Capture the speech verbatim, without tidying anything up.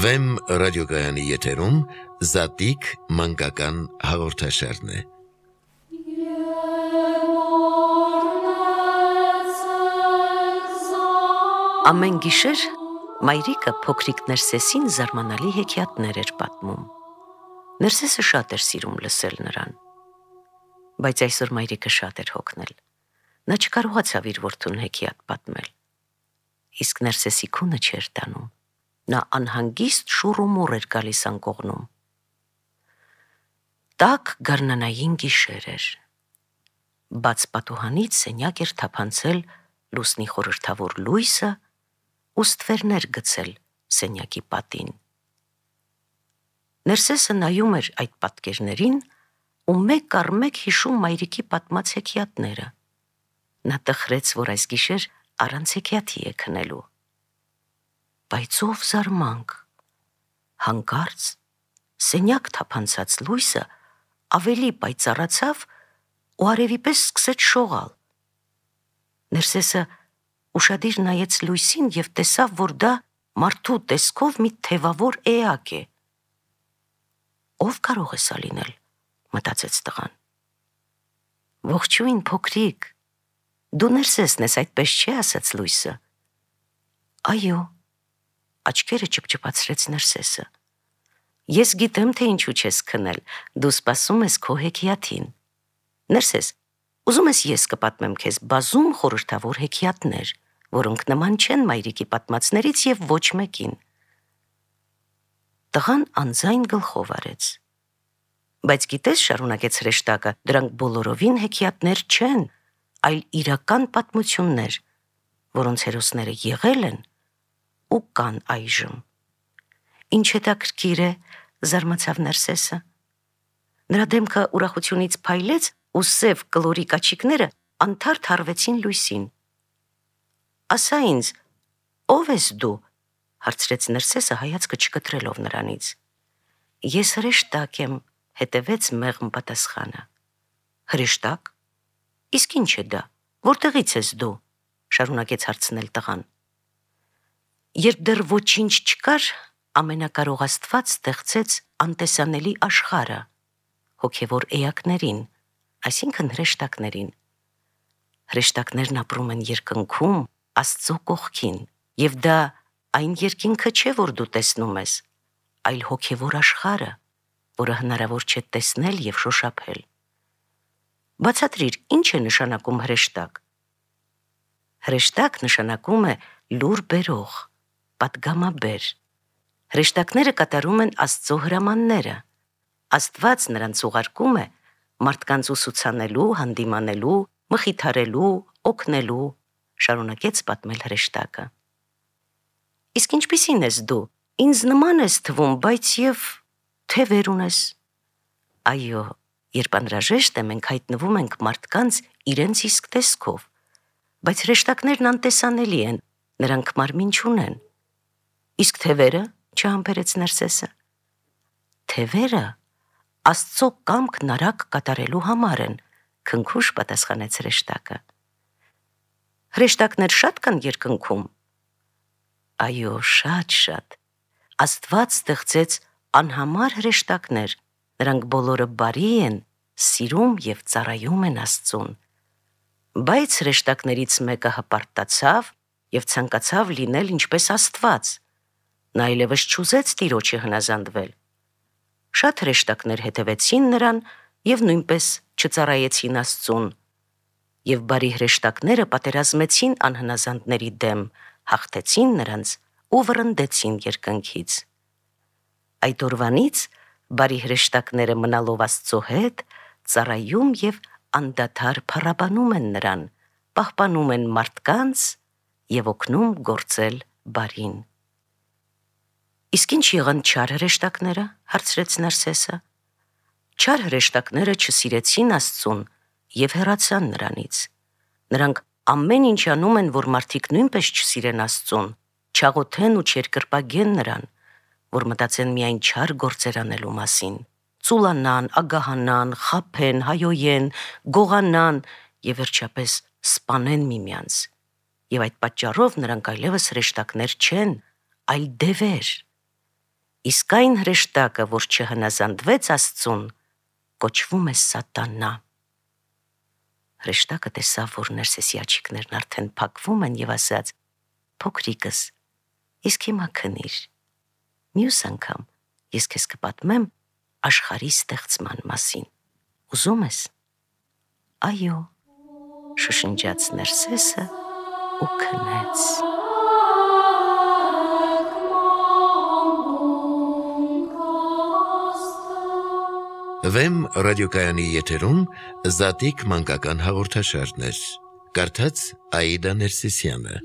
Վեմ ռադիոգայանի եթերում Զատիկ մանկական հաղորդաշարն է։ Ամեն գիշեր մայրիկը փոքրիկ Ներսեսին զարմանալի հեքիաթներ էր պատմում։ Ներսեսը շատ էր սիրում լսել նրան, բայց այսօր մայրիկը շատ էր հոգնել։ Նա չկարողացավ իր որդուն հեքիաթ պատմել։ Իսկ Ներսեսի քունը չէր տանում։ Նա անհանգիստ շուռումուռ էր գալիս անկողնում։ Տաք գարնանային գիշեր էր։ Բաց պատուհանից սենյակ էր թափանցել լուսնի խորհրդավոր լույսը ու ստվերներ գցել սենյակի պատին։ Ներսեսը նայում էր այդ պատկերներին ու մեկ առ մեկ հիշում մայրիկի պատմած հեքիաթները։ Նա տխրեց, որ այս գիշեր առանց հեքիաթի է քնելու։ Բայց ով զարմանք, հանկարծ սենյակ թափանցած լույսը ավելի պայծառացավ ու արևի պես սկսեց շողալ։ Ներսեսը ուշադիր նայեց լույսին և տեսավ, որ դա մարդու տեսքով մի թևավոր էակ է։ Ով կարող է սա լինել, մտածեց տղան։ Ողջույն, փոքրիկ, դու Ներսեսն ես, այդպես չէ, ասաց լույսը։ Այո, աչքերը ճպճպացրեց Ներսեսը։ Ես գիտեմ, թե ինչու չես քնել, դու սպասում ես քո հեքիաթին։ Ներսես, ուզում ես ես կպատմեմ քեզ բազում խորհրդավոր հեքիաթներ, որոնք նման չեն մայրիկի պատմածներից և ոչ մեկին։ Տղան անձայն գլխով արեց։ Բայց գիտես, շարունակեց հրեշտակը, դրանք բոլորովին հեքիաթներ չեն, այլ իրական պատմություններ, որոնց հերոսները եղել են ու կան այժմ։ Ինչ հետաքրքիր է, զարմացավ Ներսեսը։ Նրա դեմքը ուրախությունից փայլեց ու սև կլորիկ աչիկները անթարթ հառվեցին լույսին։ Ասա ինձ, ով ես դու, հարցրեց Ներսեսը հայացքը չկտրելով նրանից։ Ես հրեշտակ եմ, հետևեց մեղմ պատասխանը։ Հրեշտակ, իսկ ինչ է դա, որտեղից ես դու, շարունակեց հարցնել տղան։ Երբ դեռ ոչինչ չկար, ամենակարող Աստված ստեղծեց անտեսանելի աշխարհը, հոգևոր էակներին, այսինքն հրեշտակներին։ Հրեշտակներն ապրում են երկնքում, Աստծո կողքին, և դա այն երկինքը չէ, որ դու տեսնում ես, այլ հոգևոր աշխարհը, որը հնարավոր չէ տեսնել և շոշափել։ Բացատրիր, ինչ է նշանակում հրեշտակ։ Հրեշտակ նշանակում է լուր բերող, պատգամաբեր։ Հրեշտակները կատարում են Աստծո հրամանները։ Աստված նրանց ուղարկում է մարդկանց ուսուցանելու, հանդիմանելու, մխիթարելու, օգնելու, շարունակեց պատմել հրեշտակը։ Իսկ ինչպիսին ես դու, ինձ նման ես թվում, բայց և թևեր ունես։ Այո, երբ անհրաժեշտ է, մենք հայտնվում ենք մարդկանց իրենց իսկ տեսքով, բայց հրեշտակներն անտեսանելի են, նրանք մարմին չունեն։ Իսկ թևերը, չհամբերեց Ներսեսը։ Թևերը Աստծո կամքն արագ կատարելու համար են, քնքուշ պատասխանեց հրեշտակը։ Հրեշտակներ շատ կան երկնքում։ Այո, շատ-շատ։ Աստված ստեղծեց անհամար հրեշտակներ, նրանք բոլորը բարի են, սիրում և ծառայում են Աստծուն։ Բայց հրեշտակներից մեկը հպարտացավ և ցանկացավ լինել ինչպես Աստված։ Նա այլևս չուզեց Տիրոջը հնազանդվել։ Շատ հրեշտակներ հետևեցին նրան և նույնպես չծառայեցին Աստծուն։ Եվ բարի հրեշտակները պատերազմեցին անհնազանդների դեմ, հաղթեցին նրանց ու վռնդեցին երկնքից։ Այդ օրվանից բարի հրեշտակները մնալով Աստծո հետ, ծառայում և անդադար փառաբանում են նրան, պահպանում են մարդկանց և օգնում գործել բարին։ Իսկ ինչ եղան չար հրեշտակները, հարցրեց Ներսեսը։ Չար հրեշտակները չսիրեցին Աստծուն և հեռացան նրանից։ Նրանք ամեն ինչ անում են, որ մարդիկ նույնպես չսիրեն Աստծուն, չաղոթեն ու չերկրպագեն նրան, որ մտածեն միայն չար գործեր անելու մասին, ծուլանան, ագահանան, խաբեն, հայոյեն, գողանան և վերջապես սպանեն միմյանց։ Եվ այդ պատճառով նրանք այլևս հրեշտակներ չեն, այլ դևեր։ Իսկ այն հրեշտակը, որ չհնազանդվեց Աստծուն, կոչվում է Սատանա։ Հրեշտակը տեսավ, որ Ներսեսի աչիկներն արդեն փակվում են եւ ասաց. «Փոքրիկս, իսկ հիմա քնիր։ Մյուս անգամ ես քեզ կպատմեմ աշխարհի ստեղծման մասին։ Ուզում ես»։ «Այո», շշնջաց Ներսեսը ու քնեց։ Վեմ ռադիոկայանի եթերում Զատիկ մանկական հաղորդաշարներ։ Կարդաց Աիդա Ներսիսյանը։